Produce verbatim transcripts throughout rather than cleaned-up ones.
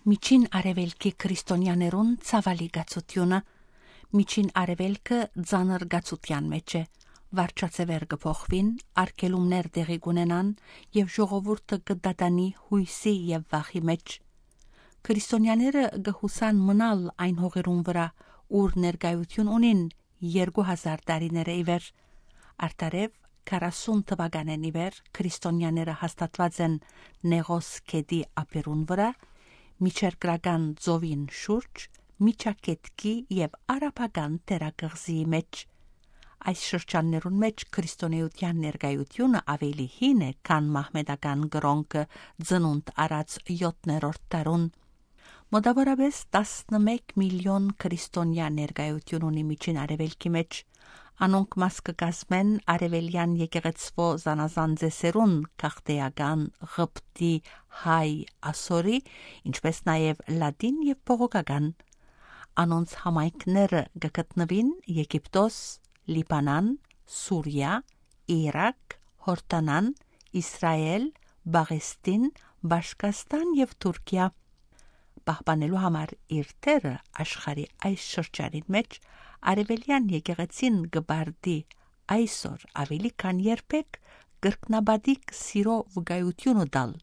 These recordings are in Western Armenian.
Միջին Արեւելքի քրիստոնեաներուն ցաւալի կացութիւնը։ Միջին Արեւելքը ծանր կացութեան մէջ է։ Վարչաձեւեր կը փոխուին, արգելումներ տեղի կ'ունենան եւ ժողովուրդը կը դատանի յոյսի եւ վախի մէջ։ Քրիստոնեաները կը յուսան մնալ այն հողերուն վրայ, ուր ներկայութիւն ունին երկու հազար տարիներ ի վեր։ Արդարեւ, քառասուն թուականէն ի վեր քրիստոնեաները հաստատուած են Նեղոս գետի ափերուն վրայ, Միջերկրական ծովին շուրջ, Միջագետքի եւ Արաբական թերակղզիի մէջ։ Այս շրջաններուն մէջ քրիստոնէութեան ներկայութիւնը աւելի հին է, քան մահմետական կրօնքը ծնունդ առած յոթերորդ դարուն։ Մօտաւորապէս տասնմէկ միլիոն քրիստոնեայ ներկայութիւն ունի Միջին Արեւելքի մէջ։ Անոնք մաս կը կազմեն արեւելեան եկեղեցւոյ զանազան ծեսերուն՝ քախտեական, ղպտի, հայ, ասորի, ինչպէս նաեւ լատին եւ բողոքական։ Անոնց համայնքները կը գտնուին Եգիպտոս, Լիբանան, Սուրիա, Իրաք, Յորդանան, Իսրայէլ, Պաղեստին, Պաշկաստան եւ Թուրքիա։ Պահպանելու համար իր դերը աշխարհի այս շրջանին մէջ, արեւելեան եկեղեցին կը պարտի այսօր աւելի քան երբեք կրկնապատիկ սիրո վկայութիւնը տալ,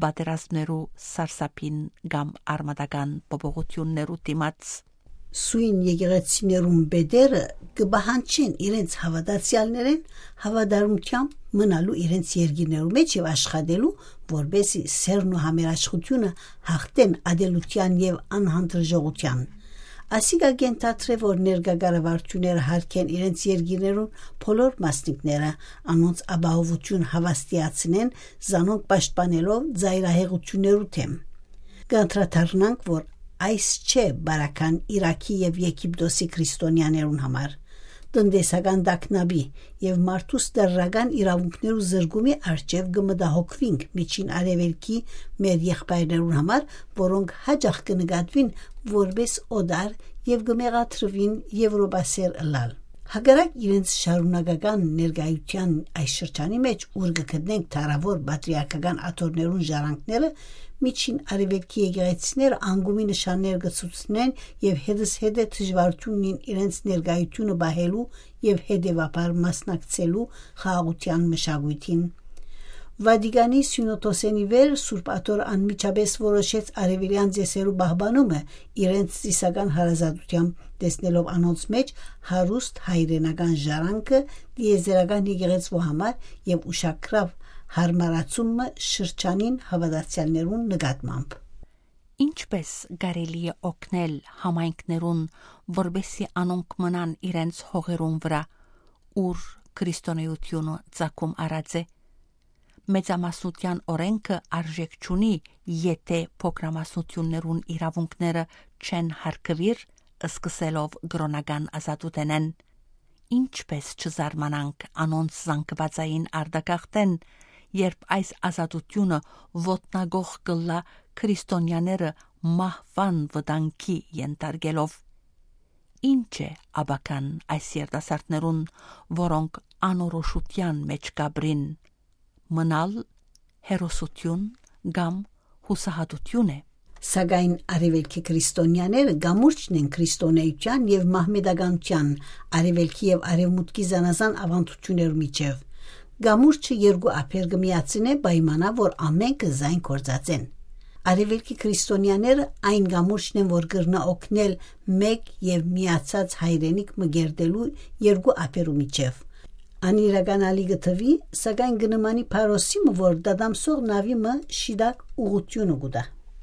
պատերազմներու սարսափին կամ արմատական փոփոխութիւններու դիմաց։ Սոյն եկեղեցիներուն պետերը կը պահանջեն իրենց հաւատացեալներէն հաւատարմութեամբ մնալու իրենց երկիրներու մէջ եւ աշխատելու, որպէսզի սէրն ու համերաշխութիւնը յաղթեն ատելութեան եւ անհանդրժողութեան։ Ասիկա կ'ենթադրէ, որ ներկայ կառավարութիւնները յարգեն իրենց երկիրներուն բոլոր մասնիկները, անոնց ապահովութիւն հաւաստիացնեն, զանոնք պաշտպանելով ծայրահեղութիւններու դէմ։ Կ'անդրադառնանք, որ այս չէ բարական Իրաքի եւ Եգիպտոսի քրիստոնեաներուն համար։ Տնտեսական տագնապի եւ մարդուս տարրական իրաւունքներու զրկումի առջեւ կը մտահոգուինք Միջին Արեւելքի մեր եղբայրներուն համար, որոնք յաճախ կը նկատուին որպէս օտար եւ կը մեղադրուին եւրոպասէր ըլլալ։ Հակառակ իրենց շարունակական ներկայութեան այս շրջանի մէջ, ուր կը գտնենք դարաւոր պատրիարքական աթոռներուն ժառանգները, Միջին Արեւելքի եկեղեցիները անկումի նշաններ կը ցուցնեն եւ հետզհետէ դժուարութիւն ունին իրենց ներկայութիւնը պահելու եւ հետեւաբար մասնակցելու խաղաղութեան մշակոյթին։ Վատիկանի սիւնոդոսէն ի վեր Սուրբ Աթոռ անմիջապէս որոշեց արեւելեան ծեսերու պահպանումը իրենց ծիսական հարազատութեամբ, տեսնելով անոնց մէջ հարուստ հայրենական ժառանգը տիեզերական եկեղեցւոյ համար եւ ուշագրաւ յարմարացումը շրջանին հաւատացեալներուն նկատմամբ։ Ինչպէս կարելի է օգնել համայնքներուն, որպէսզի անոնք մնան իրենց հողերուն վրայ, ուր քրիստոնէութիւնը ծագում առած է։ Մեծամասնութեան օրէնքը արժէք չունի, եթէ փոքրամասնութիւններուն իրաւունքները չեն յարգուիր, սկսելով կրօնական ազատութենէն։ Ինչպէս չզարմանանք անոնց զանգուածային արտագաղթէն, երբ այս ազատութիւնը ոտնակոխ կ'ըլլայ քրիստոնեաները մահուան վտանգի ենթարկելով։ Ի՞նչ է ապագան այս երիտասարդներուն, որոնք անորոշութեան մէջ կ'ապրին, մնալ հերոսութիւն կամ յուսահատութիւն է։ Սակայն արեւելքի քրիստոնեաները կամուրջն են քրիստոնէութեան եւ մահմետականութեան, արեւելքի եւ արեւմուտքի զանազան աւանդութիւններու միջեւ։ Կամուրջը երկու ափեր կը միացնէ պայմանա, որ ամէնքը զայն գործածեն։ Արեւելքի քրիստոնեաները այն կամուրջն են, որ կրնայ օգնել մէկ եւ միացած հայրենիք մը կերտելու երկու ափերու միջեւ։ Անիրական ալի կը թուի, սակայն կը նմանի փարոսի մը, որ դատամսող նաւի մը շիտակ ուղղութիւնը կու տայ։